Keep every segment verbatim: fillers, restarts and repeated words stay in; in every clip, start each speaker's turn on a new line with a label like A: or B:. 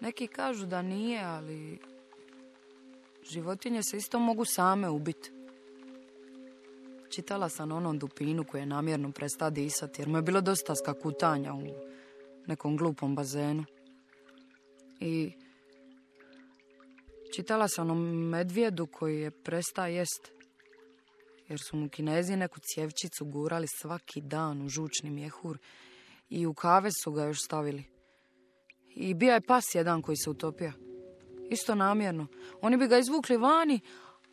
A: Neki kažu da nije, ali životinje se isto mogu same ubiti. Čitala sam o onom dupinu koji je namjerno prestao disati, jer mu je bilo dosta skakutanja u nekom glupom bazenu. I čitala sam o medvjedu koji je prestao jest, jer su mu Kinezi neku cjevčicu gurali svaki dan u žučni mjehur i u kave su ga još stavili. I bija je pas jedan koji se utopio. Isto namjerno. Oni bi ga izvukli vani,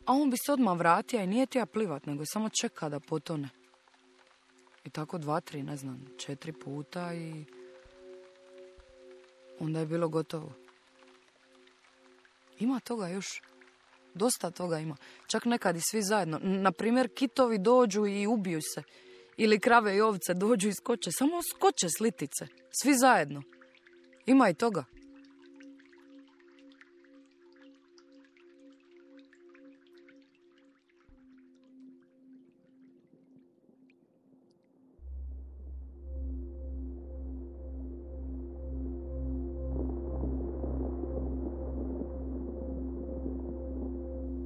A: a on bi se odmah vratio i nije tija plivat, nego samo čeka da potone. I tako dva, tri, ne znam, četiri puta i onda je bilo gotovo. Ima toga još. Dosta toga ima. Čak nekad i svi zajedno. Naprimjer, kitovi dođu i ubiju se. Ili krave i ovce dođu i skoče. Samo skoče s litice. Svi zajedno. Ima i toga.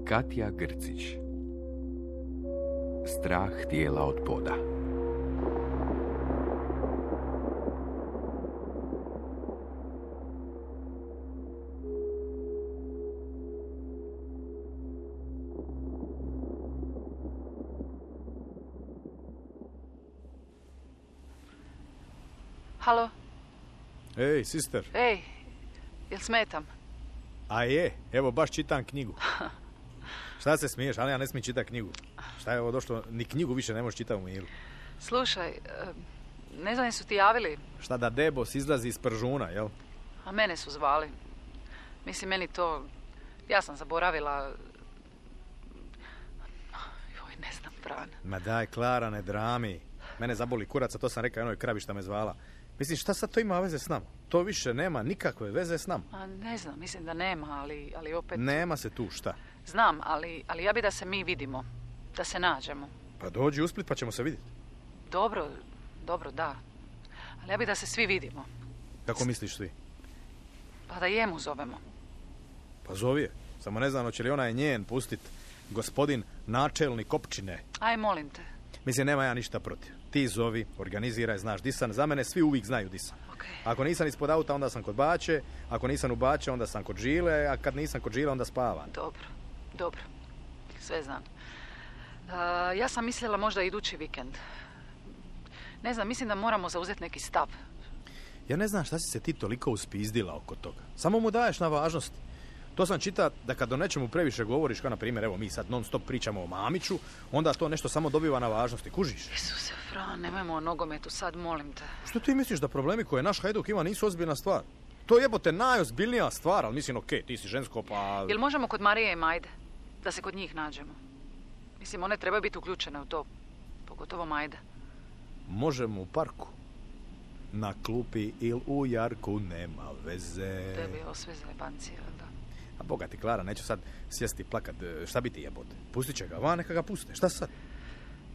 B: Katja Grcić. Strah tijela od poda.
C: Halo?
D: Ej, sister.
C: Ej, jel smetam?
D: A je, evo baš čitam knjigu. Šta se smiješ, ali ja ne smijem čitati knjigu. Šta je ovo došlo, ni knjigu više ne možeš čitati u miru.
C: Slušaj, ne znam su ti javili.
D: Šta da Debos izlazi iz Pržuna, jel?
C: A mene su zvali. Mislim, meni to... Ja sam zaboravila... Joj, ne znam, Fran.
D: Ma daj, Klara, ne drami. Mene zaboli kurac, a to sam rekao jednoj kravi šta me zvala. Mislim, šta sad to ima veze s nama? To više nema nikakve veze s nama.
C: A ne znam, mislim da nema, ali, ali opet...
D: Nema se tu, šta?
C: Znam, ali, ali ja bi da se mi vidimo. Da se nađemo.
D: Pa dođi u Split pa ćemo se vidjeti.
C: Dobro, dobro, da. Ali ja bi da se svi vidimo.
D: Kako misliš svi?
C: Pa da jemu zovemo.
D: Pa zovi je. Samo ne znam, hoće li ona je njen pustit gospodin načelnik općine.
C: Aj, molim te.
D: Mislim, nema ja ništa protiv. Ti zovi, organiziraj, znaš di sam. Za mene svi uvijek znaju di sam.
C: Okay.
D: Ako nisam ispod auta, onda sam kod Bače. Ako nisam u Bače, onda sam kod Žile. A kad nisam kod Žile, onda spavam.
C: Dobro, dobro. Sve znam. Uh, ja sam mislila možda idući vikend. Ne znam, mislim da moramo zauzeti neki stav.
D: Ja ne znam šta si se ti toliko uspizdila oko toga. Samo mu daješ na važnosti. To sam čita da kad o nečemu previše govoriš, kao na primjer, evo mi sad non stop pričamo o Mamiću, onda to nešto samo dobiva na važnosti. Kužiš?
C: Isuse, Fran, nemojmo o nogometu sad, molim te.
D: Što ti misliš da problemi koje naš Hajduk ima nisu ozbiljna stvar? To je jebote najozbiljnija stvar, ali mislim, okej, okay, ti si žensko, pa...
C: Jel možemo kod Marije i Majde? Da se kod njih nađemo? Mislim, one trebaju biti uključene u to. Pogotovo Majda.
D: Možemo u parku. Na klupi ili u jarku, nema veze.
C: Tebi je sve zajebancija, da.
D: A boga ti, Klara, neću sad sjesti i plakat. Šta bi ti jebote? Pustit će ga van, neka ga puste. Šta sad?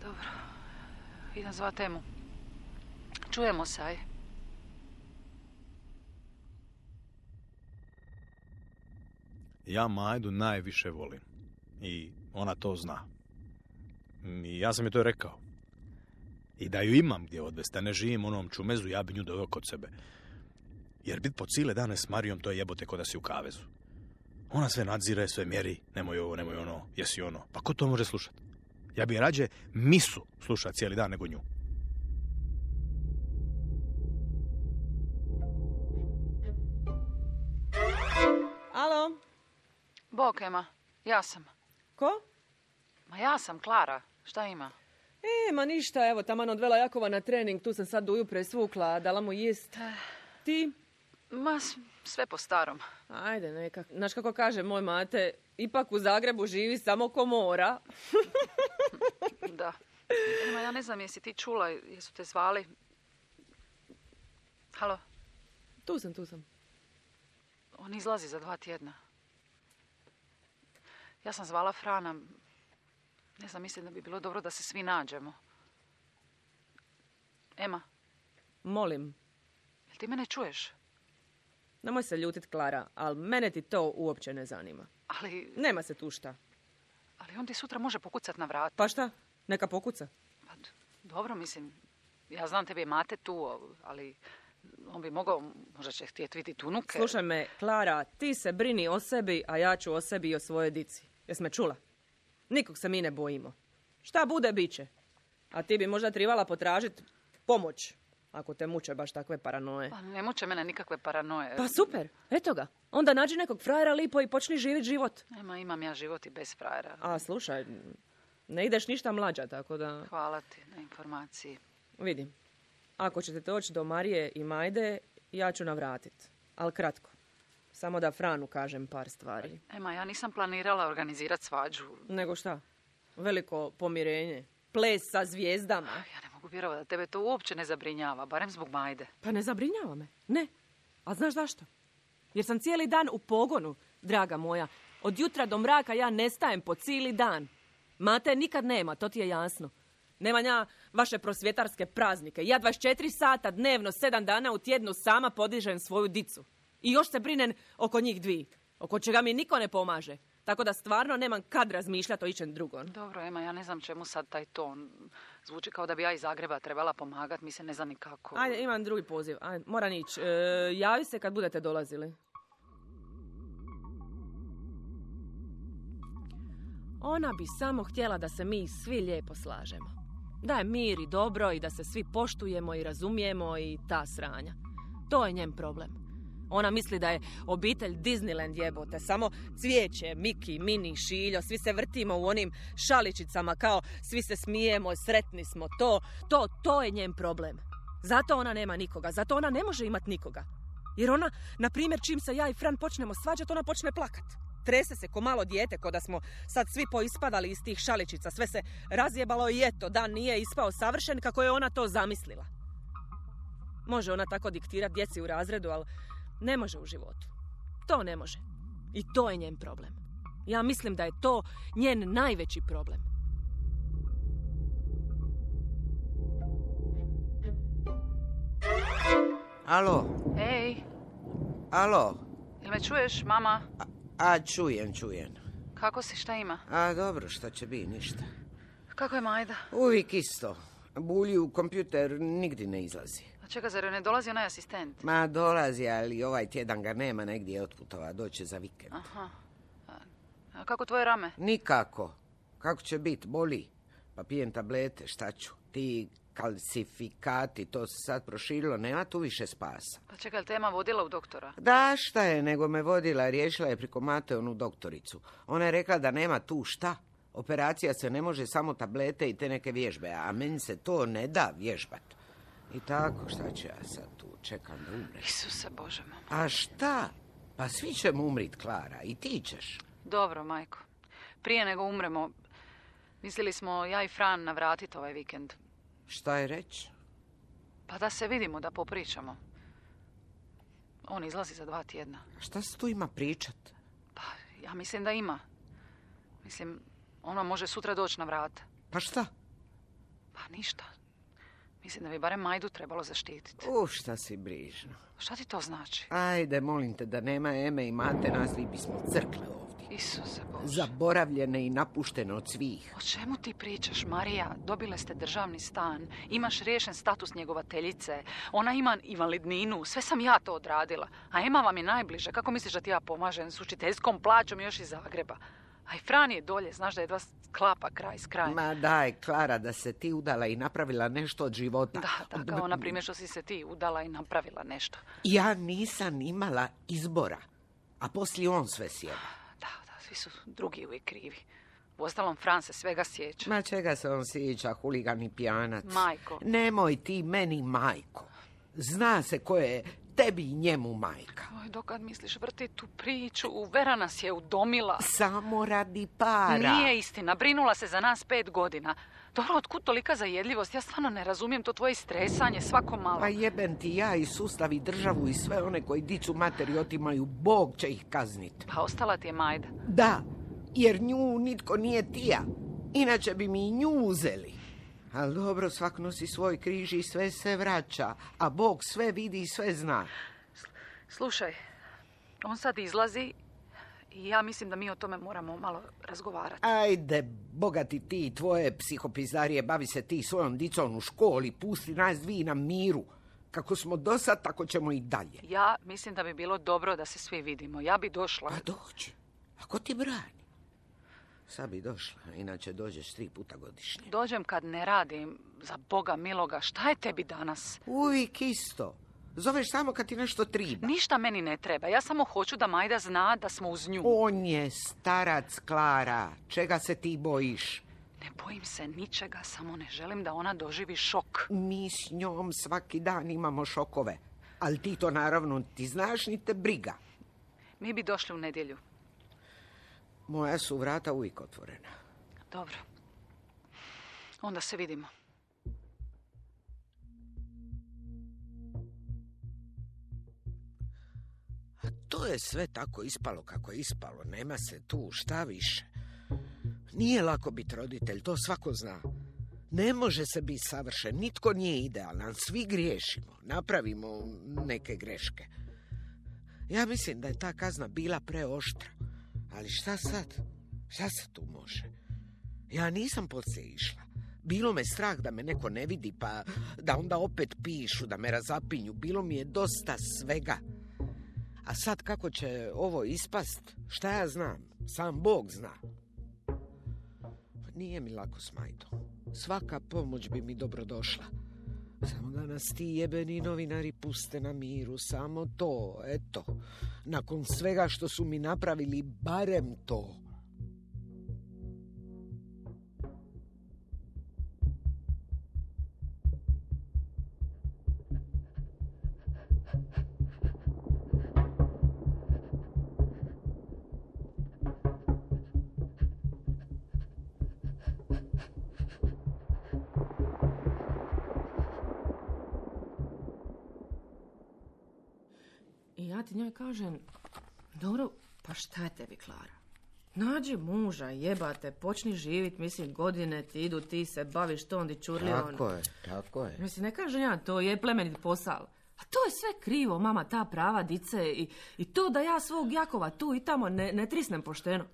C: Dobro. Idem zva Temu. Čujemo se, aj.
D: Ja Majdu najviše volim. I ona to zna. I ja sam je to rekao. I da ju imam gdje odvesti, a ne živim onom čumezu, ja bi nju doveo kod sebe. Jer bit po cijele dane s Marijom, to je jebote ko da si u kavezu. Ona sve nadzire, sve mjeri, nemoj ovo, nemoj ono, jesi ono. Pa ko to može slušati? Ja bi rađe misu slušati cijeli dan nego nju.
E: Alo?
C: Bok, Ema, ja sam.
E: Ko?
C: Ma ja sam, Klara. Šta ima?
E: E, ma ništa, evo, taman odvela Jakova na trening, tu sam sad do ujutro svukla, dala mu jest. Ti?
C: Ma, sve po starom.
E: Ajde, neka. Znaš kako kaže moj mate, ipak u Zagrebu živi samo ko mora.
C: Da. Ema, ja ne znam, jesi ti čula, jesu te zvali? Halo?
E: Tu sam, tu sam.
C: On izlazi za dva tjedna. Ja sam zvala Frana. Ne znam, mislim da bi bilo dobro da se svi nađemo. Ema?
E: Molim.
C: Jel ti mene čuješ?
E: Nemoj se ljutit, Klara, ali mene ti to uopće ne zanima.
C: Ali,
E: Nema se tu šta.
C: ali on ti sutra može pokucat na vrat.
E: Pa šta? Neka pokuca.
C: Pa, d- dobro, mislim, ja znam tebi je mate tu, ali on bi mogao, možda će htjeti vidjeti unuke.
E: Slušaj me, Klara, ti se brini o sebi, a ja ću o sebi i o svojoj dici. Jes me čula? Nikog se mi ne bojimo. Šta bude, bit će. A ti bi možda trebala potražiti pomoć, ako te muče baš takve paranoje.
C: Pa ne muče mene nikakve paranoje.
E: Pa super, eto ga. Onda nađi nekog frajera lipo i počni živjeti život.
C: Nema, imam ja život i bez frajera.
E: A slušaj, ne ideš ništa mlađa, tako da...
C: Hvala ti na informaciji.
E: Vidim. Ako ćete doći do Marije i Majde, ja ću navratit. Ali kratko. Samo da Franu kažem par stvari.
C: Ema, ja nisam planirala organizirati svađu.
E: Nego šta? Veliko pomirenje. Ples sa zvijezdama.
C: Ja ne mogu vjerovati da tebe to uopće ne zabrinjava, barem zbog Majde.
E: Pa ne zabrinjava me. Ne. A znaš zašto? Jer sam cijeli dan u pogonu, draga moja. Od jutra do mraka ja nestajem po cijeli dan. Mate nikad nema, to ti je jasno. Nemam ja vaše prosvjetarske praznike. Ja dvadeset četiri sata dnevno, sedam dana u tjednu sama podižem svoju dicu. I još se brinem oko njih dvi, oko čega mi niko ne pomaže. Tako da stvarno nemam kad razmišljati o ičem drugom.
C: Dobro, Ema, ja ne znam čemu sad taj ton. Zvuči kao da bi ja iz Zagreba trebala pomagati, mi se ne znam ni kako.
E: Ajde, imam drugi poziv. Ajde, moram ići. E, javi se kad budete dolazili. Ona bi samo htjela da se mi svi lijepo slažemo. Da je mir i dobro i da se svi poštujemo i razumijemo i ta sranja. To je njen problem. Ona misli da je obitelj Disneyland jebote, samo cvijeće, Miki, Mini, Šiljo, svi se vrtimo u onim šaličicama kao svi se smijemo, sretni smo, to, to, to je njen problem. Zato ona nema nikoga, zato ona ne može imati nikoga. Jer ona, na primjer, čim se ja i Fran počnemo svađati, ona počne plakat. Trese se ko malo dijete, ko da smo sad svi poispadali iz tih šaličica, sve se razjebalo i eto, dan nije ispao savršen kako je ona to zamislila. Može ona tako diktirati djeci u razredu, ali ne može u životu. To ne može. I to je njen problem. Ja mislim da je to njen najveći problem.
F: Alo,
C: Ej,
F: alo.
C: jel me čuješ, mama?
F: A, a čujem, čujem.
C: Kako si, šta ima?
F: A dobro, šta će biti, ništa.
C: Kako je Majda?
F: Uvijek isto. Bulji u kompjuter nigdje ne izlazi.
C: A čeka, zar joj ne dolazi onaj asistent?
F: Ma dolazi, ali ovaj tjedan ga nema, negdje je otputova, doće za vikend.
C: Aha. A, a kako tvoje rame?
F: Nikako. Kako će biti, boli. Pa pijem tablete, šta ću? Ti kalcifikati, to se sad proširilo, nema tu više spasa.
C: Pa čekaj, jel te Ema vodila u doktora?
F: Da, šta je, nego me vodila, riješila je priko Mate onu doktoricu. Ona je rekla da nema tu šta. Operacija se ne može, samo tablete i te neke vježbe, a meni se to ne da vježbat. I tako, šta ću ja sad tu, čekam da umre.
C: Isuse Bože, mama.
F: A šta? Pa svi ćemo umrit, Klara, i ti ćeš.
C: Dobro, majko. Prije nego umremo, mislili smo ja i Fran navratiti ovaj vikend.
F: Šta je reći?
C: Pa da se vidimo, da popričamo. On izlazi za dva tjedna.
F: A šta se tu ima pričat?
C: Pa ja mislim da ima. Mislim, ono može sutra doći na vrata.
F: Pa šta?
C: Pa ništa. Mislim da bi barem Majdu trebalo zaštititi.
F: U, šta si brižno.
C: Šta ti to znači?
F: Ajde, molim te, da nema Eme i Mate, nas vi bismo crkle ovdje.
C: Isuse Bože.
F: Zaboravljene i napuštene od svih.
C: O čemu ti pričaš, Marija? Dobile ste državni stan, imaš riješen status njegovateljice, ona ima invalidninu, sve sam ja to odradila. A Ema vam je najbliže, kako misliš da ti ja pomažem s učiteljskom plaćom još iz Zagreba? A i Fran je dolje, znaš da jedva sklapa kraj s krajem.
F: Ma daj, Klara, da se ti udala i napravila nešto od života.
C: Da, da, kao na primjer što si se ti udala i napravila nešto.
F: Ja nisam imala izbora, a poslije on sve sjeda.
C: Da, da, svi su drugi uvijek krivi. Uostalom, Fran se svega sjeća.
F: Ma čega se on sjeća, huligan i pijanac?
C: Majko.
F: Nemoj ti meni majko. Zna se ko je tebi i njemu majka.
C: Oj, dokad misliš vrtiti tu priču? Vera nas je udomila.
F: Samo radi para.
C: Nije istina, brinula se za nas pet godina. Dobro, otkud tolika zajedljivost? Ja stvarno ne razumijem to tvoje stresanje svako malo.
F: Pa jebem ti ja i sustav i državu i sve one koji dicu materi otimaju, Bog će ih kazniti.
C: Pa ostala ti je Majda.
F: Da, jer nju nitko nije tija. Inače bi mi i nju uzeli. Ali dobro, svak nosi svoj križ i sve se vraća. A Bog sve vidi i sve zna.
C: Slušaj, On sad izlazi i ja mislim da mi o tome moramo malo razgovarati.
F: Ajde, bogati ti i tvoje psihopizdarije, bavi se ti svojom dicom u školi, pusti nas dvi na miru. Kako smo do sad, tako ćemo i dalje.
C: Ja mislim da bi bilo dobro da se svi vidimo. Ja bi došla.
F: A dođi. A ko ti brani? Sad bi došla, inače dođeš tri puta godišnje.
C: Dođem kad ne radim, za Boga miloga. Šta je tebi danas?
F: Uvijek isto. Zoveš samo kad ti nešto triba.
C: Ništa meni ne treba. Ja samo hoću da Majda zna da smo uz nju.
F: On je starac, Klara. Čega se ti bojiš?
C: Ne bojim se ničega, samo ne želim da ona doživi šok.
F: Mi s njom svaki dan imamo šokove. Ali ti to naravno ti znaš, ni te briga.
C: Mi bi došli u nedjelju.
F: Moja su vrata uvijek otvorena.
C: Dobro. Onda se vidimo.
F: A to je sve tako ispalo kako je ispalo. Nema se tu šta više. Nije lako biti roditelj, to svako zna. Ne može se biti savršen, nitko nije idealan, svi griješimo, napravimo neke greške. Ja mislim da je ta kazna bila preoštra. Ali šta sad? Šta se tu može? Ja nisam poslije išla. Bilo me strah da me neko ne vidi, pa da onda opet pišu, da me razapinju. Bilo mi je dosta svega. A sad kako će ovo ispast? Šta ja znam? Sam Bog zna. Nije mi lako s Majdom. Svaka pomoć bi mi dobro došla. Samo da nas ti jebeni novinari puste na miru. Samo to, eto. Nakon svega što su mi napravili, barem to.
E: I ja ti njoj kažem, dobro, pa šta je tebi, Klara? Nađi muža, jebate, počni živit, mislim, godine ti idu, ti se baviš tom di čurli on.
F: Tako je, tako je.
E: Mislim, ne kažem ja, to je plemenit posao. A to je sve krivo, mama, ta prava dice i, i to da ja svog Jakova tu i tamo ne, ne trisnem pošteno.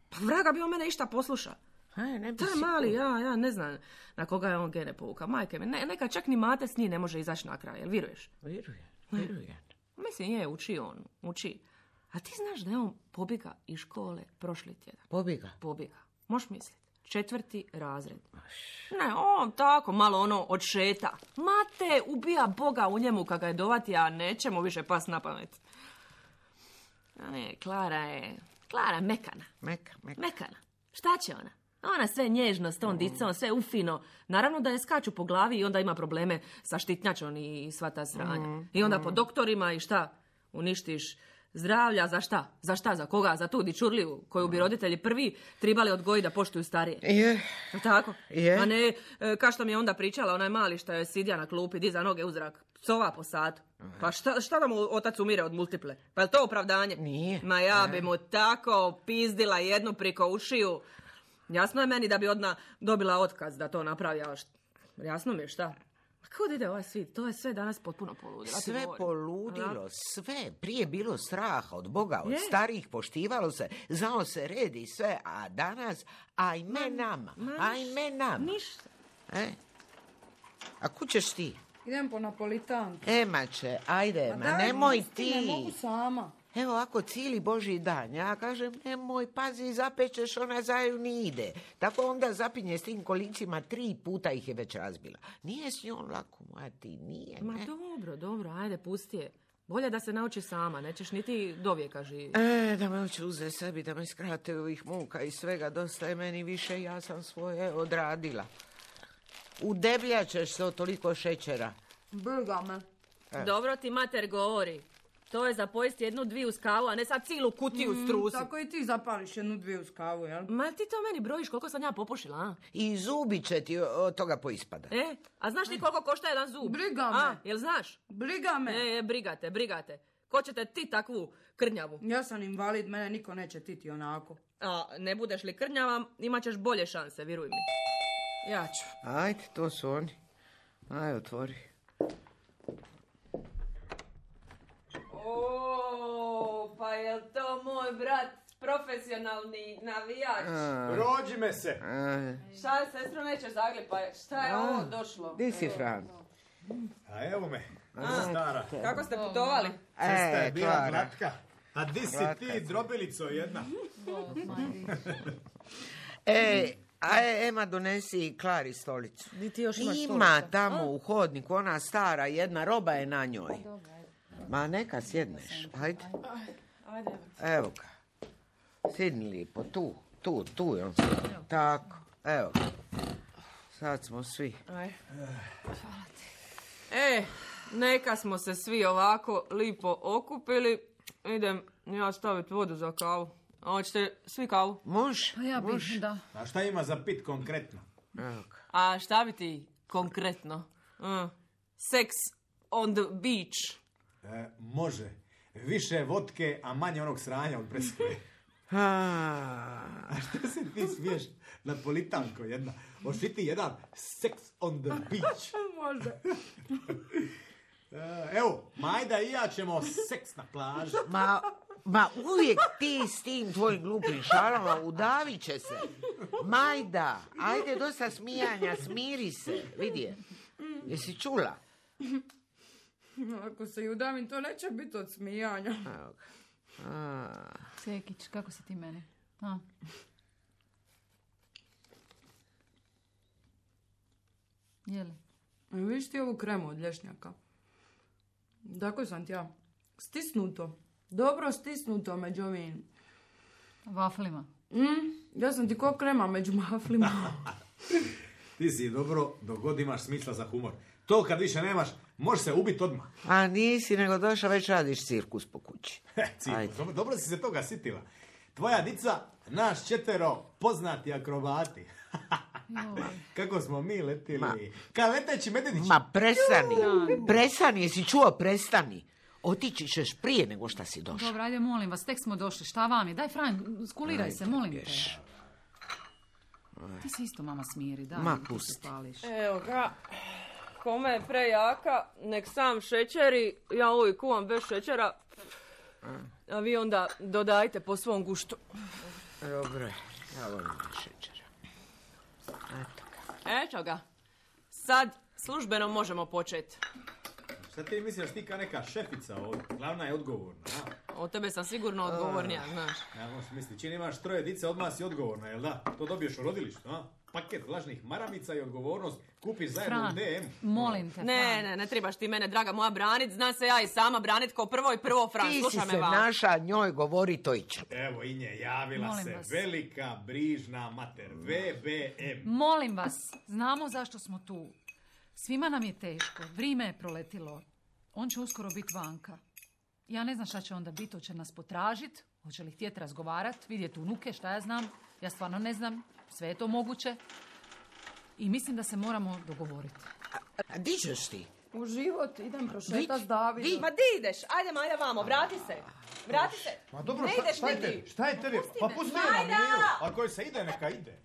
E: Pa vraga bi on mene išta posluša.
F: Aj, ne bi
E: Taj
F: si
E: mali,
F: ko-
E: ja, ja ne znam na koga je on gene povukao. Majke mi, ne, neka čak ni mate s njim ne može izaći na kraj, jel viruješ?
F: Vjerujem, vjerujem.
E: Mislim, je, uči on, uči. A ti znaš da je on pobjega iz škole prošli tjedan?
F: Pobjega.
E: Pobjega. Možeš misliti. Četvrti razred. Ne, on tako malo ono odšeta. Mate ubija Boga u njemu kad ga je dovati, a neće mu više pas na pamet. A ne, Klara je... Klara je mekana.
F: Meka, meka.
E: Mekana. Šta će ona? Ona sve nježno s tom dicom, sve ufino. Naravno da je skaču po glavi i onda ima probleme sa štitnjačom i sva ta sranja. I onda po doktorima i šta? Uništiš zdravlja, za šta? Za šta? Za koga? Za tu dičurliju koju bi roditelji prvi tribali odgojiti da poštuju starije.
F: Je.
E: Jel tako?
F: Je.
E: A ne, e, kao što mi je onda pričala, onaj mali što je sidja na klupi, diza noge u zrak, psova po satu. Pa šta, šta da mu otac umire od multiple? Pa je to opravdanje?
F: Nije.
E: Ma ja bi mu tako pizdila jednu priko ušiju. Jasno je meni da bi odmah dobila otkaz da to napravi, ali št- jasno mi je šta. Kud ide ovaj svijet? To je sve danas potpuno poludilo. ja ti
F: Sve
E: govorim.
F: poludilo, sve. Prije bilo straha od Boga, od
E: Je.
F: starih, poštivalo se, znalo se red i sve, a danas, ajme nama,
E: ma
F: ajme nama.
E: Ništa.
F: E? A kud ćeš ti?
A: Idem po Napolitanku.
F: Emače, ajde, ma
A: daj,
F: nemoj
A: pusti,
F: ti.
A: Ne mogu sama.
F: Evo ako cijeli Božji dan, ja kažem, nemoj, pazi, zapečeš, ona zaju ni ide. Tako onda zapinje s tim kolicima, tri puta ih je već razbila. Nije s njom lako, moja ti, nije.
E: Ma
F: ne.
E: dobro, dobro, ajde, pusti je. Bolje da se nauči sama, nećeš niti do vijeka živjeti.
F: E, da me hoće uzeti sebi, da me skrate ovih muka i svega, dosta je meni više, ja sam svoje odradila. Udebljaćeš se od toliko šećera.
A: Briga me.
E: Dobro ti mater govori. To je za pojesti jednu dviju s kavu, a ne sad cijelu kutiju strusi.
A: Tako i ti zapališ jednu dvije uz kavu, jel?
E: Ma ti to meni brojiš koliko sam ja popušila, a?
F: I zubi će ti od toga poispada.
E: E, a znaš ti koliko košta jedan zub?
A: Briga me.
E: A, jel znaš?
A: Briga me.
E: E, e, brigate, brigate. Ko će te ti takvu krnjavu?
A: Ja sam invalid, mene niko neće titi onako.
E: A ne budeš li krnjava, imat ćeš bolje šanse, vjeruj mi. Ja ću.
F: Ajde, to su oni. Aj, otvori.
A: O,
E: pa jel to moj brat, profesionalni navijač?
D: Rođi me se.
E: Šta je, sestro, nećeš zaglipaj? Šta je ovo došlo?
F: Di si, Fran?
D: A evo me, stara.
E: Kako ste putovali?
D: Cesta je
F: E,
D: bila
F: Klara.
D: glatka. A di si
F: Glatka
D: ti,
F: je.
D: drobilico jedna?
F: E, aj, Ema, donesi Klari stolicu.
E: Di ti još imaš
F: Ima
E: stolica?
F: tamo u hodniku, ona stara, jedna roba je na njoj. Ma neka sjedneš, ajde.
E: Ajde.
F: Evo ga. Sidni lipo, tu, tu, tu je on sjedno. Tako, evo ga. Sad smo svi.
E: Aj. E, neka smo se svi ovako lipo okupili. Idem ja staviti vodu za kavu. A hoćete svi kavu?
F: Može?
C: Pa ja
F: može.
C: bih, da.
D: A šta ima za pit konkretno?
F: Evo ga.
E: A šta bi ti konkretno? Uh, sex on the beach.
D: E, može. Više vodke, a manje onog sranja od preskoje.
F: A,
D: A što se ti smiješ? Napolitanko jedna. Hoći ti jedan sex on the beach.
E: Može.
D: E, evo, Majda i ja ćemo seks na plaži.
F: Ma, ma uvijek ti s tim tvojim glupim šalama udavit će se. Majda, ajde dosta smijanja, smiri se. Vidi je. Jesi čula?
A: Ako se i udavim, to neće biti od smijanja.
F: Evo ga. A,
C: Sekić, kako si ti meni? A? Jeli?
A: Viš ti ovu kremu od lješnjaka? Tako sam ti ja. Stisnuto. Dobro stisnuto među ovim.
C: Vaflima.
A: Mm, ja sam ti ko krema među maflima.
D: Ti si dobro, dok god imaš smisla za humor. To kad više nemaš, možeš se ubiti odmah.
F: a nisi nego došla, već radiš cirkus po kući.
D: Cirkus,
F: Ajde.
D: dobro, dobro si se toga sitila. Tvoja dica, naš četvero poznati akrobati. Kako smo mi letili.
F: Ma.
D: Ka leteći medvjedić.
F: Ma prestani, prestani, jesi čuo, prestani. Otići ćeš prije nego šta si došla.
C: Dobro, ajde, molim vas, tek smo došli. Šta vam je? Daj, Fran, skuliraj se, molim te.
F: Pješ.
C: Ti se isto, mama, smiri, da.
F: Ma,
C: ti se
F: pusti.
C: pališ.
E: Evo ga. Kome je prejaka, nek sam šećeri. Ja uvijek kuvam bez šećera. A vi onda dodajte po svom guštu.
F: Dobro, je, ja volim šećera. Eto ga.
E: Eto ga. Sad službeno možemo početi.
D: Šta ti misliš da si ti kao neka šefica ovdje? Glavna je odgovorna, a?
E: Od tebe sam sigurno odgovornija, znaš.
D: Ja možeš misliti, čini imaš troje dice, odmah si odgovorna, jel da? To dobiješ u rodilištu, a? Paket lažnih maramica i odgovornost kupiš zajedno
C: Fran,
D: u D M.
C: molim te,
E: Ne,
C: Fran.
E: ne, ne trebaš ti mene, draga moja, branit. Zna se ja i sama branit kao prvo i prvo, Fran.
F: Ti si
E: Slušaj
F: se
E: me, va.
F: naša njoj govori to i će.
D: Evo i nje, javila
C: Molim
D: se
C: vas.
D: velika brižna mater, V B M.
C: Molim vas, znamo zašto smo tu. Svima nam je teško, vrijeme je proletilo. On će uskoro biti vanka. Ja ne znam šta će onda biti, hoće nas potražit, hoće li htjeti razgovarat, vidjeti unuke, šta ja znam. Ja stvarno ne znam, sve je to moguće. I mislim da se moramo dogovoriti.
F: A di ćeš ti?
A: U život idem prošetat
F: Vić,
A: s Davidom.
F: vi-
E: Ma di ideš? Ajde, Majda, vamo, vrati se. Vrati se.
D: Ma dobro,
E: Ne
D: šta,
E: ideš
D: šta je
E: nigdje.
D: tebi? Šta je tebi?
E: Pusti
D: Pa
E: me.
D: pusti
E: Majda!
D: je na miru. Ako se ide, neka ide.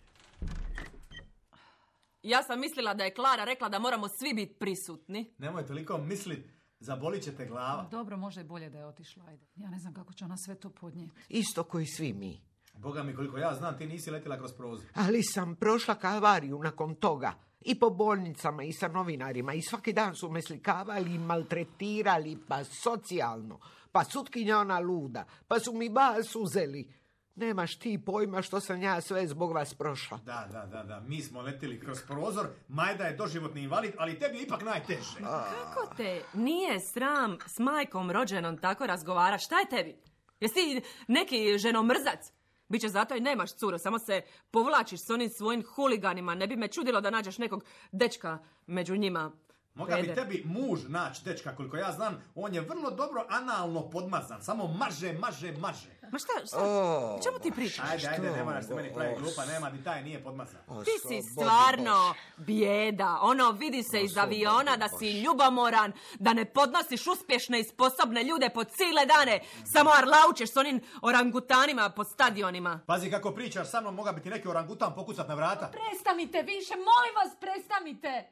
E: Ja sam mislila da je Klara rekla da moramo svi biti prisutni.
D: Nemoj toliko mislit, zabolit će te glava.
C: Dobro, možda je bolje da je otišla, ajde. Ja ne znam kako će ona sve to podnijeti.
F: Isto koji svi mi.
D: Boga mi, koliko ja znam, ti nisi letila kroz prozor.
F: Ali sam prošla kalvariju nakon toga. I po bolnicama i sa novinarima. I svaki dan su me slikavali i maltretirali, pa socijalno. Pa sutkinja ona luda. Pa su mi bas uzeli. Nemaš ti pojma što sam ja sve zbog vas prošla.
D: Da, da, da, da, mi smo letili kroz prozor, Majda je doživotni invalid, ali tebi je ipak najteže.
E: Kako te nije sram s majkom rođenom tako razgovara? Šta je tebi? Jesi ti neki ženomrzac? Biće zato i nemaš curo, samo se povlačiš s onim svojim huliganima. Ne bi me čudilo da nađeš nekog dečka među njima.
D: Moga bi
E: Peder.
D: tebi muž naći, dečka, koliko ja znam, on je vrlo dobro analno podmazan, samo maže, maže, maže.
E: Ma šta, šta?
F: O,
E: O čemu ti pričaš?
D: Ajde, ajde,
F: Što?
D: ne moraš se meni praviti
F: Os.
D: glupa, nema, ni taj nije podmazan.
F: O,
E: Ti si
F: slobodi
E: stvarno
F: Bože.
E: bijeda. Ono, vidi se iz
F: slobodi
E: aviona da si
F: Bože.
E: ljubomoran, da ne podnosiš uspješne i sposobne ljude po cijele dane. Samo arlaučeš s onim orangutanima po stadionima.
D: Pazi kako pričaš sa mnom, moga bi ti neki orangutan pokucat na vrata.
C: Prestanite više, molim vas, prestanite!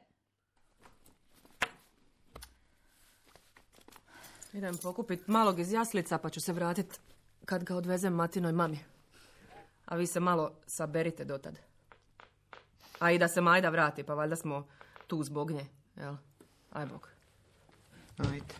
E: Idem pokupit malog iz jaslica pa ću se vratit kad ga odvezem Matinoj mami. A vi se malo saberite dotad. A i da se Majda vrati, pa valjda smo tu zbog nje, jel? Aj bog.
F: Ajde.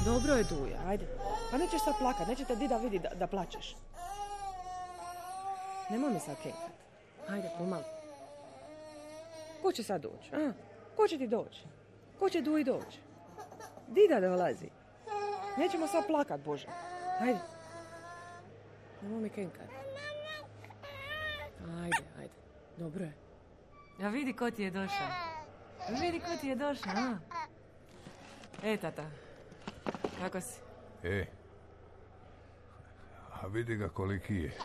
E: Dobro je, Duja, ajde. Pa nećeš sad plakat, neće te dida vidi da, da plačeš. Nemoj mi sad kenkat. Ajde, pomalo. Ko će sad doći? A? Ko će ti doći? Ko će Duji doći? Dida dolazi. Nećemo sad plakat, Bože. Ajde. Nemoj mi kenkat. Ajde, ajde. Dobro je. Ja vidi ko ti je došao. Vidi ko ti je došao, a? E, tata. Kako si?
G: E, a vidi ga koliki je.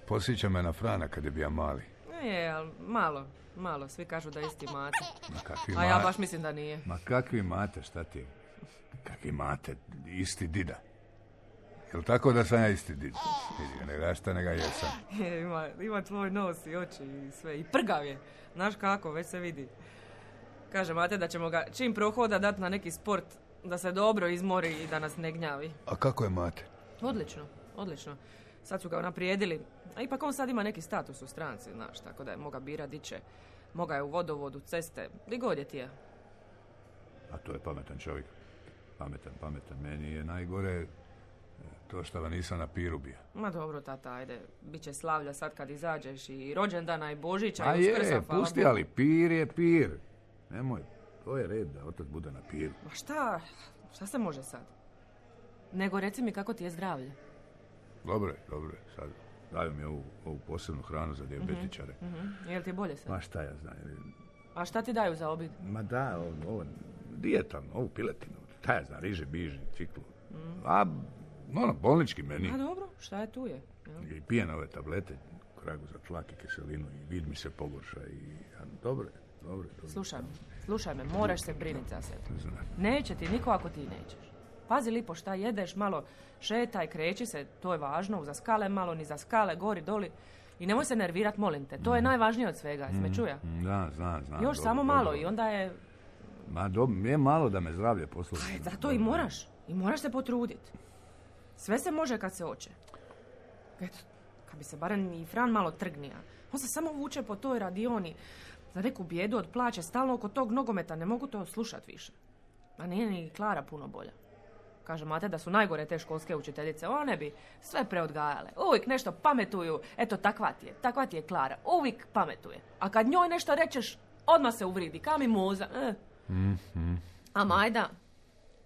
G: Posjeća me na Frana kad je bio mali.
E: Je, ali malo, malo. Svi kažu da isti mate.
G: Ma kakvi
E: A ja
G: ma-
E: baš mislim da nije.
G: Ma kakvi mate, šta ti je? Kakvi mate, isti dida. Jel tako da sam ja isti dida? Vidi ga, ne rašta, ne ga jesam.
E: Je, ima, ima tvoj nos i oči i sve. I prgav je. Znaš kako, već se vidi. Kaže mate da ćemo ga čim prohoda dati na neki sport, da se dobro izmori i da nas ne gnjavi.
G: A kako je mate?
E: Odlično, odlično. Sad su ga unaprijedili. A ipak on sad ima neki status u stranci, znaš, tako da je moga bira diće. Moga je u vodovodu, ceste, di god je ti je.
G: A to je pametan čovjek. Pametan, pametan. Meni je najgore to što ga nisam na piru bio.
E: Ma dobro, tata, ajde. Biće slavlja sad kad izađeš i rođendana i Božića
G: A
E: i Uskrsa,
G: je,
E: hvala
G: pusti,
E: Bogu.
G: ali pir je pir. Nemoj, to je red da otac bude na piru.
E: Ma šta? Šta se može sad? Nego reci mi kako ti je zdravlje.
G: Dobro je, dobro je. Sad daju mi ovu, ovu posebnu hranu za dijabetičare.
E: Mhm. Jel ti je bolje sad?
G: Ma šta ja znam.
E: A šta ti daju za obid?
G: Ma da, ovo, ovo dijeta, ovu piletinu. Šta ja znam, riže, biži, ciklu. A, ono, bolnički meni.
E: A dobro, šta je tu je? Jel?
G: I pijem ove tablete, kragu za tlak i kiselinu i vid mi se pogorša. I, a, dobro je, dobro je. Dobro.
E: Slušaj me, slušaj me, moraš se brinuti za sebe.
G: Znam.
E: Neće ti niko ako ti nećeš. Pazi lipo šta jedeš, malo šetaj, kreći se, to je važno, za skale malo, ni za skale, gori, doli. I nemoj se nervirat, molim te, to je najvažnije od svega, jesi me čuja?
G: Da, znam, znam.
E: Još
G: dobro,
E: samo
G: dobro.
E: malo i onda je...
G: Ma dobro, je malo da me zdravlje posluži.
E: Aj, zato i moraš, i moraš se potruditi. Sve se može kad se hoće. Eto, kad bi se barem i Fran malo trgnija. On se samo vuče po toj radioni. Za neku bijedu od plaće, stalno oko tog nogometa, ne mogu to slušat više. A nije ni Klara puno bolja. Kaže mate da su najgore te školske učiteljice. One bi sve preodgajale. Uvijek nešto pametuju. Eto, takva ti je. Takva ti je Klara. Uvijek pametuje. A kad njoj nešto rečeš, odmah se uvridi. Kao mimoza. Eh.
G: Mm-hmm.
E: A Majda,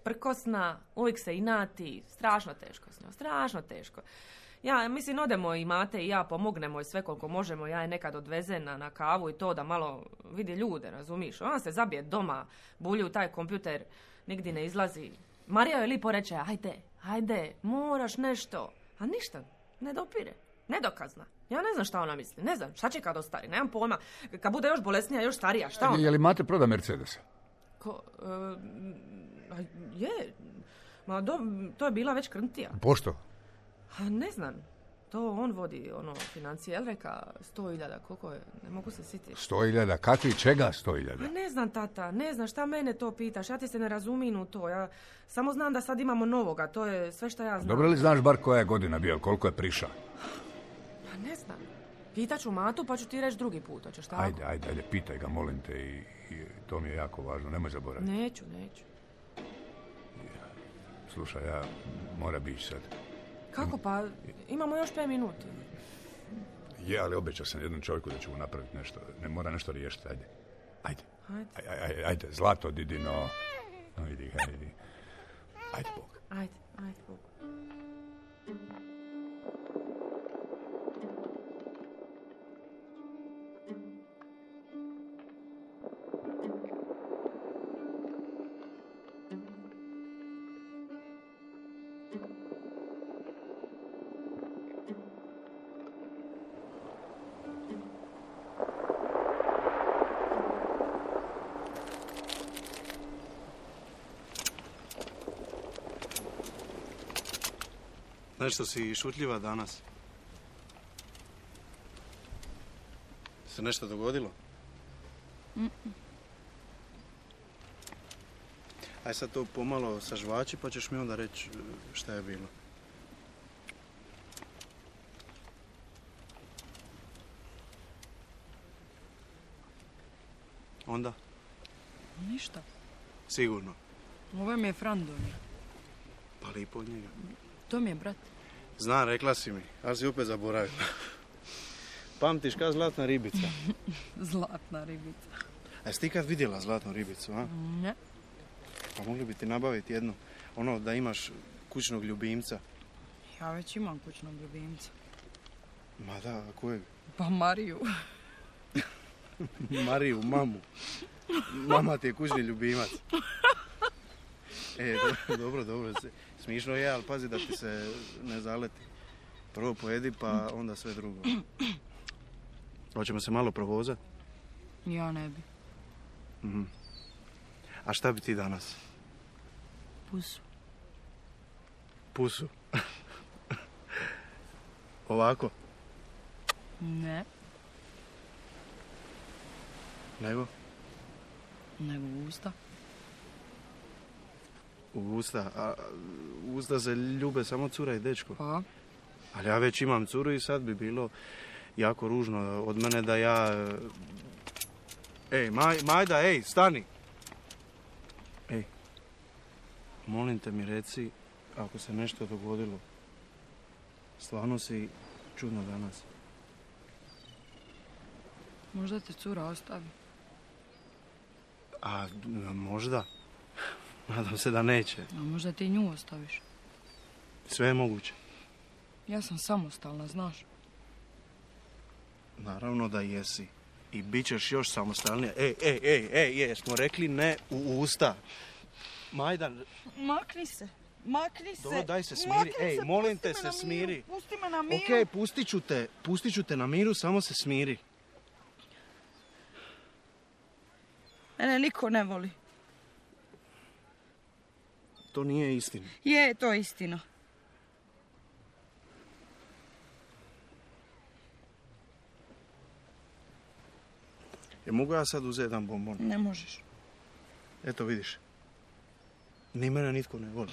E: prkosna, uvijek se inati. Strašno teško s njom. Strašno teško. Ja, mislim, odemo i mate i ja pomognemo i sve koliko možemo. Ja je nekad odvezem na, na kavu i to da malo vidi ljude, razumiš? Ona se zabije doma, bulji u taj kompjuter, nigdje ne izlazi. Marija joj lipo reče, ajde, ajde, moraš nešto. A ništa, ne dopire, nedokazna. Ja ne znam šta ona misli, ne znam, šta će kad ostari, nemam pojma. Kad bude još bolesnija, još starija, šta ona?
G: Je li mate proda Mercedesa?
E: Ko, e, a je, ma do, to je bila već krntija.
G: Pošto?
E: A ne znam, to on vodi, ono, financije, jel reka, sto hiljada, koliko je, ne mogu se sjetiti.
G: Sto hiljada, kakvi čega sto hiljada?
E: A ne znam, tata, ne znam, šta mene to pitaš, ja ti se ne razumim u to, ja samo znam da sad imamo novoga, to je sve što ja znam.
G: Dobro li znaš bar koja je godina bio, koliko je priša?
E: Pa ne znam, pitaću Matu pa ću ti reći drugi put, hoćeš tako?
G: Ajde, ajde, ajde, pitaj ga, molim te, i, i to mi je jako važno, nemoj zaboraviti.
E: Neću, neću.
G: Slušaj, ja mora bići sad.
E: Kako pa, imamo još pet minuti.
G: Je, ali obećao sam jednom čovjeku da ćemo napraviti nešto, ne mora nešto riješiti, ajde. Ajde,
E: Ajde,
G: ajde, ajde, ajde zlato, didi, no, no, idi ga, idi. Ajde, Bog.
E: ajde, ajde, Bog.
H: Nešto si šutljiva danas. Se nešto dogodilo?
A: Mm-mm.
H: Aj sad to pomalo sažvači pa ćeš mi onda reći šta je bilo. Onda?
A: Ništa.
H: Sigurno.
A: Ovo mi je Fran donio.
H: Pa lipo od njega.
A: To mi je brat.
H: Znam, rekla si mi, ali si opet zaboravila. Pamtiš ka zlatna ribica?
A: Zlatna ribica.
H: A jesi ti kad vidjela zlatnu ribicu, a?
A: Ne.
H: Pa mogli bi ti nabaviti jednu, ono da imaš kućnog ljubimca.
A: Ja već imam kućnog ljubimca.
H: Ma da, a kojeg?
A: Pa Mariju.
H: Mariju, mamu. Mama ti je kućni ljubimac. E, dobro, dobro, dobro. Smišno je, ali pazi da ti se ne zaleti. Prvo pojedi, pa onda sve drugo. Hoćemo se malo provozati?
A: Ja ne bi.
H: Mhm. A šta bi ti danas?
A: Pusu.
H: Pusu? Ovako?
A: Ne.
H: Nego?
A: Nego u usta.
H: U usta? A u usta se ljube samo cura i dečko.
A: Pa?
H: Ali ja već imam curu i sad bi bilo jako ružno od mene da ja... Ej, Maj, Majda, ej, stani! Ej, molim te mi reci ako se nešto dogodilo. Stvarno si čudno danas.
A: Možda te cura ostavi.
H: A možda? Nadam se da neće.
A: A možda ti nju ostaviš.
H: Sve je moguće.
A: Ja sam samostalna, znaš.
H: Naravno da jesi. I bit ćeš još samostalnija. Ej, ej, ej, ej, jesmo rekli ne u usta. Majda...
A: Makni se. Makni se.
H: Dobro, daj se smiri.
A: Makni
H: Ej,
A: se,
H: molim
A: pusti
H: te
A: me
H: se
A: na
H: smiri.
A: miru, pusti me na miru.
H: Okej, okay, pustit ću te. Pustit ću te na miru, samo se smiri.
A: Mene niko ne voli.
H: To nije istina.
A: Je, to je istina.
H: Je mogu ja sad uzeti jedan bonbon?
A: Ne možeš.
H: Eto, vidiš. Ni mene nitko ne voli.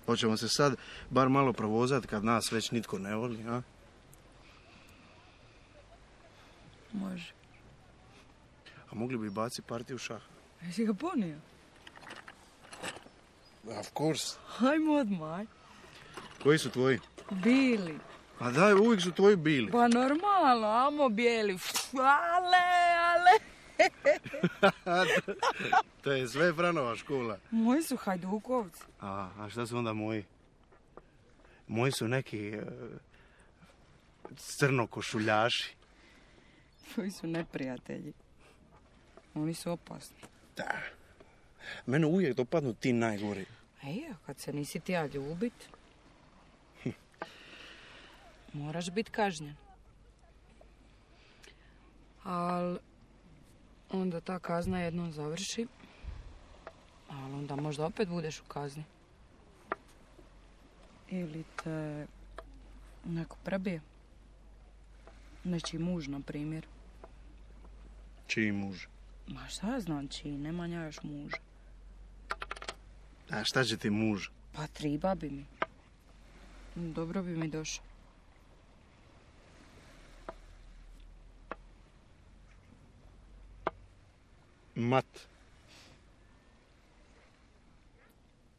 H: Hoćemo se sad bar malo provozati kad nas već nitko ne voli, a?
A: Može.
H: A mogli bi baci partiju šaha?
A: Jesi ga ponio?
H: Of course.
A: Hajmo odmah.
H: Koji su tvoji?
A: Bili.
H: A daj, uvijek su tvoji bili.
A: Pa normalno, amo bijeli. Ale, ale.
H: To je sve Franova škola.
A: Moji su hajdukovci.
H: A, a šta su onda moji? Moji su neki uh, crnokošuljaši.
A: Tvoji su neprijatelji. Oni su opasni.
H: Da. Mene uvijek dopadnu ti najgori.
A: Ej, a kad se nisi ti ja ljubit, moraš biti kažnjen. Al onda ta kazna jednom završi, ali onda možda opet budeš u kazni. Ili te neko prebije. Nečiji muž, na primjer.
H: Čiji muž?
A: Ma šta ja znam čiji, nema nja još muža.
H: A šta će ti muž?
A: Pa triba bi mi. Dobro bi mi došao.
H: Mat.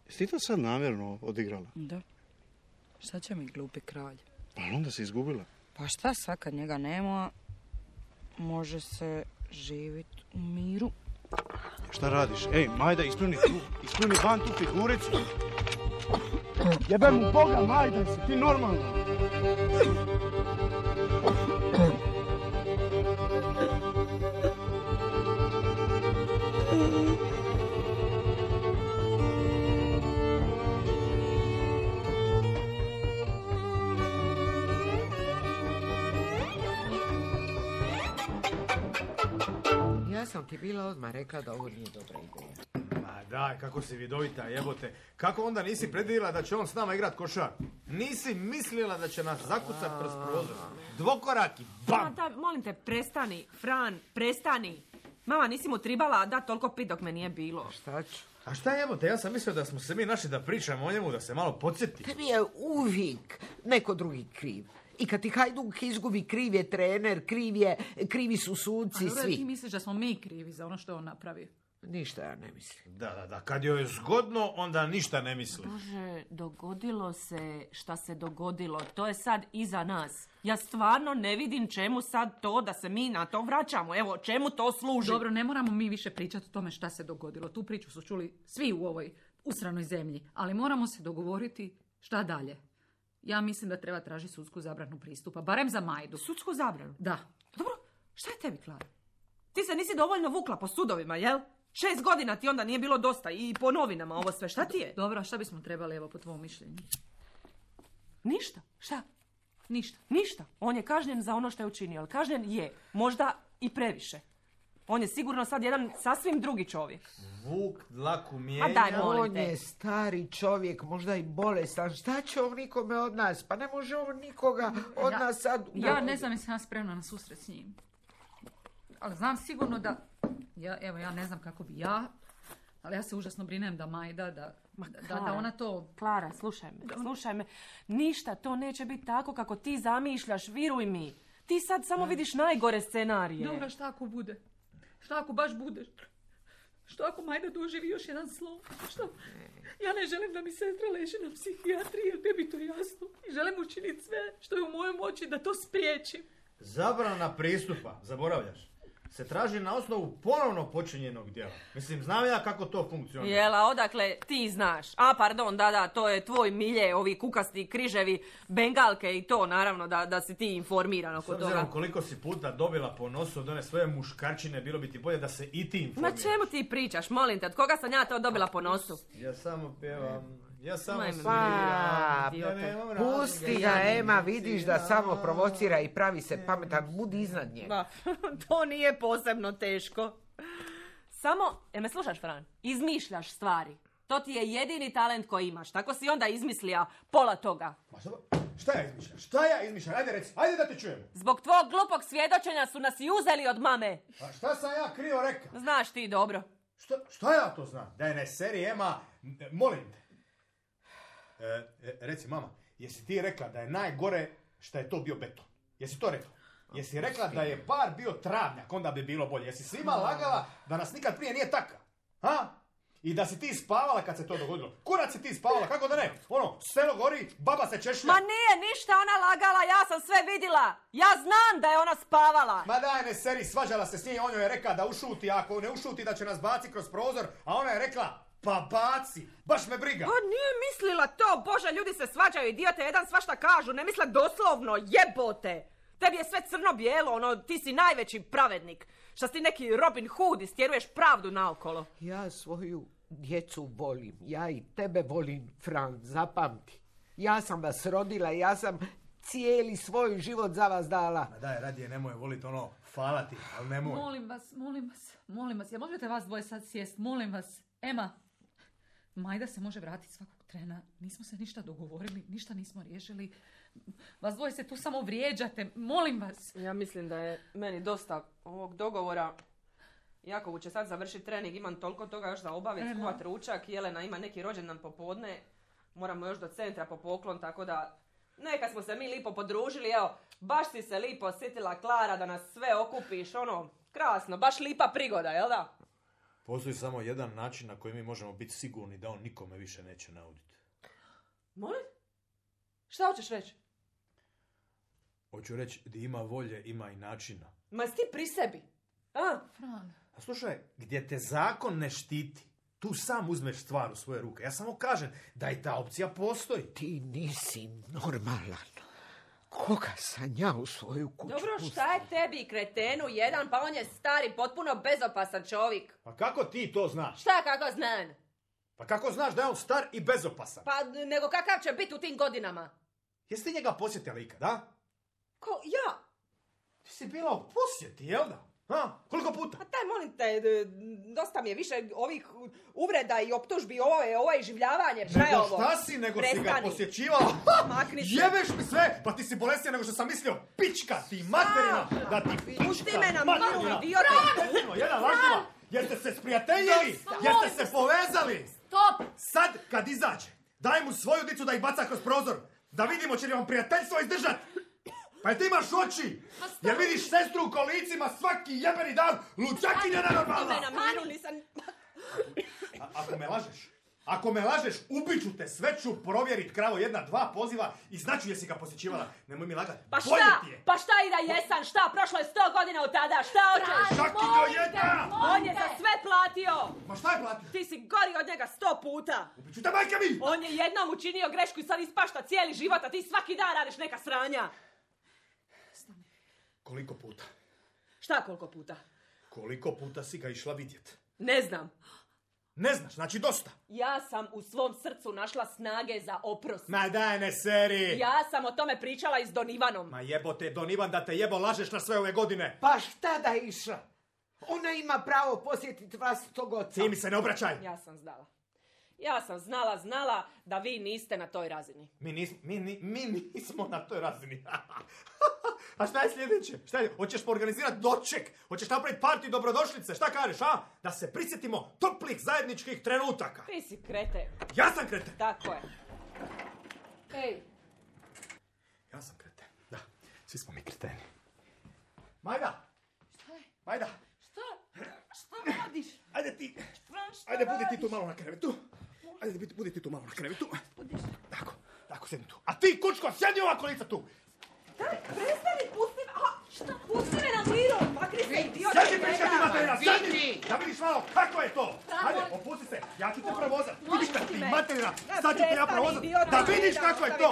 H: Jesi ti to sad namjerno odigrala?
A: Da. Šta će mi glupi kralj?
H: Pa onda si izgubila.
A: Pa šta sad kad njega nema, može se živit u miru.
H: Šta radiš? Ej, Majda, ispuni tu, ispuni van tu figuricu. Jebem mu Boga, Majda, si ti normalno?
F: Nisam ti bila odmah rekla da ovo nije dobra ideja.
D: Ma daj, kako si vidovita, jebote. Kako onda nisi predvidjela da će on s nama igrat košar? Nisi mislila da će nas zakucat kroz prozor? Dvokoraki, bam!
E: Da, molim te, prestani, Fran, prestani. Mama, nisi mu tribala da toliko pit dok me nije bilo.
F: Šta ću?
D: A šta jebote, ja sam mislio da smo se mi našli da pričamo o njemu, da se malo podsjeti.
F: Tebi je uvijek neko drugi kriv. I kad ti Hajduk izgubi, kriv je trener, kriv je, krivi su suci,
C: A dobro,
F: svi.
C: ti misliš da smo mi krivi za ono što je on napravio?
F: Ništa ja ne mislim.
D: Da, da, da, kad joj je zgodno, onda ništa ne misli.
E: Bože, dogodilo se šta se dogodilo. To je sad iza nas. Ja stvarno ne vidim čemu sad to da se mi na to vraćamo. Evo, čemu to služi?
C: Dobro, ne moramo mi više pričati o tome šta se dogodilo. Tu priču su čuli svi u ovoj usranoj zemlji. Ali moramo se dogovoriti šta dalje. Ja mislim da treba tražiti sudsku zabranu pristupa. Barem za Majdu.
E: Sudsku zabranu?
C: Da.
E: Dobro, šta je tebi, Klara? Ti se nisi dovoljno vukla po sudovima, jel? Šest godina ti onda nije bilo dosta i po novinama ovo sve. Šta ti je?
C: Dobro, a šta bismo trebali, evo, po tvom mišljenju?
E: Ništa. Šta?
C: Ništa.
E: Ništa. On je kažnjen za ono što je učinio, ali kažnjen je. Možda i previše. On je sigurno sad jedan sasvim drugi čovjek.
D: Vuk dlaku
E: A
D: mijenja.
E: daj, molim
F: On
E: te.
F: je stari čovjek, možda i bolestan. Šta će on nikome od nas? Pa ne može on nikoga od
C: Ja-
F: nas sad...
C: Ja ne znam jesam ja spremna na susret s njim. Ali znam sigurno da... Ja, evo, ja ne znam kako bi ja, ali ja se užasno brinem da Majda, da, da, da, da ona to...
E: Klara, slušaj me, slušaj me. Ništa, to neće biti tako kako ti zamišljaš, viruj mi. Ti sad samo vidiš najgore scenarije.
C: Dobro, šta ako bude? Šta ako baš bude? Što ako Majda doživi još jedan slom? Što? Ja ne želim da mi sestra leži na psihijatriji, jer tebi je to jasno. I želim učiniti sve što je u mojoj moći da to spriječim.
D: Zabrana pristupa, zaboravljaš, se traži na osnovu ponovno počinjenog djela. Mislim, znam ja kako to funkcionira.
E: Jela, odakle ti znaš? A, pardon, da, da, to je tvoj milje, ovi kukasti križevi, bengalke i to, naravno, da, da si ti informiran
D: S
E: oko
D: obzirom
E: toga.
D: koliko si puta dobila po nosu od one svoje muškarčine, bilo bi ti bolje da se i ti
E: Ma
D: informiraš.
E: čemu ti pričaš, molim te, od koga sam ja to dobila po nosu?
D: Ja samo pjevam, ja samo
E: Majme,
D: sviram.
F: Pa,
D: ja nemam
F: pusti
D: razloga,
F: ga,
D: ja
F: Ema,
D: ne
F: vidiš da
D: sviram.
F: samo provocira i pravi se pametan. Budi iznad njega.
E: Ba, to nije posebno teško. Samo, e me slušaš, Fran, izmišljaš stvari. To ti je jedini talent koji imaš. Tako si onda izmislija pola toga.
D: Ma šta, šta ja izmišljam? Šta ja izmišljam? Ajde reci, ajde da te čujem.
E: Zbog tvog glupog svjedočenja su nas i uzeli od mame.
D: A šta sam ja krivo rekao?
E: Znaš ti dobro.
D: Šta, šta ja to znam? Da je ne seri, Ema, e, molim te. E, e, reci, mama, jesi ti rekla da je najgore što je to bio beton? Jesi to rekla? Jesi rekla da je par bio travnjak, onda bi bilo bolje? Jesi svima lagala da nas nikad prije nije taka? Ha? I da si ti spavala kad se to dogodilo? Kurac si ti spavala, kako da ne? Ono, selo gori, baba se češlja.
E: Ma nije ništa ona lagala, ja sam sve vidjela. Ja znam da je ona spavala.
D: Ma daj ne seri, svađala se s njim, on joj je rekla da ušuti, a ako ne ušuti da će nas baci kroz prozor, a ona je rekla, pa baci, baš me briga.
E: Pa nije mislila to, Bože, ljudi se svađaju, idiote jedan svašta kažu, ne misle doslovno, jebote. Tebi je sve crno-bijelo, ono, ti si najveći pravednik. Šta si ti neki Robin Hood, istjeruješ pravdu naokolo.
F: Ja svoju djecu volim. Ja i tebe volim, Fran, zapamti. Ja sam vas rodila, ja sam cijeli svoj život za vas dala.
D: Ma daj, radije nemoj voliti ono, hvala ti, ali nemoj.
C: Molim vas, molim vas, molim vas. Ja možete vas dvoje sad sjest, molim vas. Ema, Majda se može vratiti svakog trena. Nismo se ništa dogovorili, ništa nismo riješili. Vas dvoje se tu samo vrijeđate, molim vas.
E: Ja mislim da je meni dosta ovog dogovora. Jakovu će sad završiti trening, imam toliko toga još za obaviti,
C: Ema.
E: skuvat ručak, Jelena ima neki rođendan popodne, moramo još do centra po poklon, tako da neka smo se mi lipo podružili, evo, baš si se lipo sjetila, Klara, da nas sve okupiš, ono, krasno, baš lipa prigoda, jel da?
D: Postoji samo jedan način na koji mi možemo biti sigurni da on nikome više neće nauditi.
E: Molim? Šta hoćeš reći?
D: Hoću reći, da ima volje, ima i načina.
E: Ma jesi ti pri sebi? A?
C: Fran,
D: A slušaj, gdje te zakon ne štiti, tu sam uzmeš stvar u svoje ruke. Ja samo kažem da i ta opcija postoji.
F: Ti nisi normalan. Koga sam ja u svoju kuću
E: Dobro,
F: pustila?
E: šta je tebi, kretenu, jedan, pa on je stari, potpuno bezopasan čovjek.
D: Pa kako ti to znaš?
E: Šta kako znam?
D: Pa kako znaš da je on star i bezopasan?
E: Pa nego kakav će biti u tim godinama?
D: Jesi ti njega posjetila ikad, da?
E: Ko, ja?
D: Ti si bila u posjeti, jel da? Ha? Koliko puta?
I: Pa taj, molim te, d- dosta mi je više ovih uvreda i optužbi, ovo je, ovo je življavanje, šta je
J: Nego
I: ovo?
J: šta si, nego si ga
I: Prestani.
J: posjećivala?
I: Makni se.
J: Jebeš mi sve, pa ti si bolesnija nego što sam mislio. Pička ti, materina, da ti pička.
I: Pusti me na
J: materina.
I: miru, idiote.
J: Jedno, jedan lažljiva. Jeste se sprijateljili? Jeste se povezali?
C: Stop!
J: Sad, kad izađe, daj mu svoju dicu da ih baca kroz prozor. Da vidimo će li vam prijateljstvo izdržat. Pa jel ti imaš oči? Jer vidiš sestru u kolicima svaki jebeni dan, luđakinja nenormalna.
I: Pusti me na miru, nisam...
J: A- ako me lažeš, ako me lažeš, ubiću te, sve ću provjerit, kravo, jedna, dva poziva i znaću jesi ga posjećivala. Nemoj mi lagat.
E: Pa
J: Bolje
E: šta?
J: ti je.
E: Pa šta i da jesam? Šta? Prošlo je sto godina od tada. Šta hoćeš?
J: Šakinjo jedna!
E: On je za sve platio.
J: Ma šta je platio?
E: Ti si gori od njega sto puta.
J: Ubiću te, majka mi!
E: On je jednom učinio grešku i sad ispašta cijeli život, a ti svaki dan radiš neka sranja.
J: Koliko puta?
E: Šta koliko puta?
J: Koliko puta si ga išla vidjet?
E: Ne znam.
J: Ne znaš, znači dosta.
E: Ja sam u svom srcu našla snage za oprost.
J: Ma daj ne seri!
E: Ja sam o tome pričala i s Don Ivanom.
J: Ma jebote, Don Ivan da te jebo lažeš na sve ove godine.
F: Pa šta da je išla? Ona ima pravo posjetiti vlastitog oca.
J: Ti mi se ne obraćaj.
E: Ja sam znala. Ja sam znala, znala da vi niste na toj razini.
J: Mi, nis, mi, ni- mi nismo na toj razini. A šta je sljedeće? Šta je? Hoćeš organizirati doček? Hoćeš napraviti partiju dobrodošlice? Šta kažeš, a? Da se prisjetimo toplih zajedničkih trenutaka.
E: Ti si krete.
J: Ja sam kreten.
E: Tako je. Ej,
J: Ja sam kreten. Da, svi smo mi kreteni. Majda! Šta je? Majda!
C: Šta? Šta radiš?
J: Ajde ti! Ajde, budi ti tu malo na krevetu. Ajde, budi, budi ti tu malo na krevetu. Tako, tako, sjedni tu. A ti, kučko, sjedi ovako lica tu!
I: Prestani, pusti me. A, šta? Pusti me na miru. Makni se, idiote.
J: Sjedi, prička ti materina, sjedi!
F: Vidi!
J: Da vidiš malo kako je to! Ajde, opusti se, ja ću te provozat. Pička ti materina, sad ću te ja provozat. Da vidiš kako je to!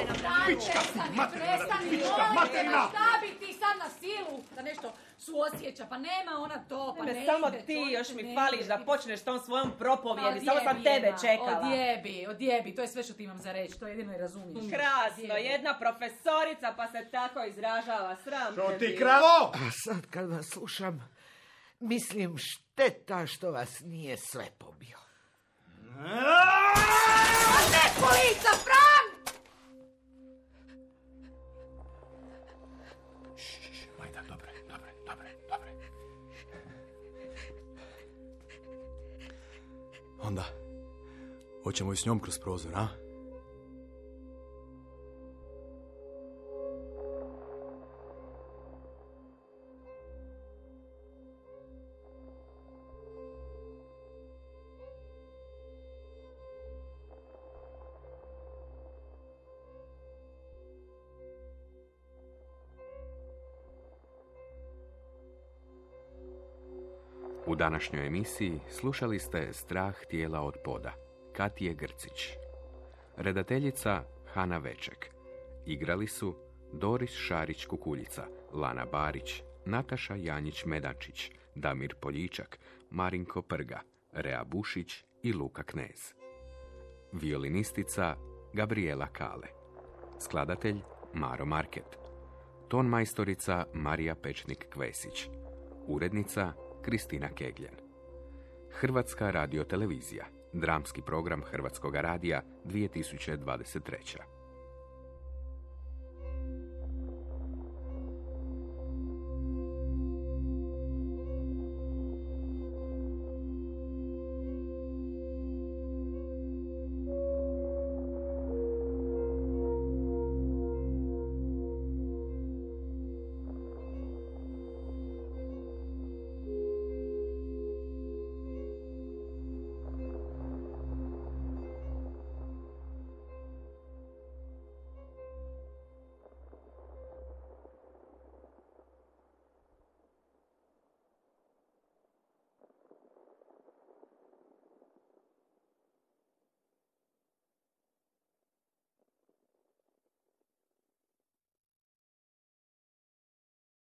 J: Pička ti materina, pička materina!
C: Šta bi ti sad na silu da nešto suosjeća? Pa nema ona to, pa ne
E: me samo
C: ide,
E: ti
C: čovječe,
E: još mi
C: ne
E: fališ
C: ide.
E: da počneš s tom svojom propovjedi.
C: Pa
E: Samo sam
C: odjebi,
E: tebe
C: Ema,
E: čekala.
C: Odjebi, odjebi, to je sve što ti imam za reći, to jedino i razumiješ.
E: Krasno,
C: Odjebi.
E: jedna profesorica pa se tako izražava. Sram
J: Što
E: te
J: ti
E: bilo.
J: kravo?
F: A sad kad vas slušam, mislim šteta što vas nije sve pobio.
C: Polica, Fran!
J: Majda, dobre, dobre, dobre, dobre. Onda, hoćemo i s njom kroz prozor, a?
B: U današnjoj emisiji slušali ste Strah tijela od poda, Katije Grcić. Redateljica Hana Veček. Igrali su Doris Šarić-Kukuljica, Lana Barić, Nataša Janjić-Medančić, Damir Poljičak, Marinko Prga, Rea Bušić i Luka Knez. Violinistica Gabriela Kale. Skladatelj Maro Market. Tonmajstorica Marija Pečnik-Kvesić. Urednica Kristina Kegljen. Hrvatska radiotelevizija. Dramski program Hrvatskoga radija dvije tisuće dvadeset treća.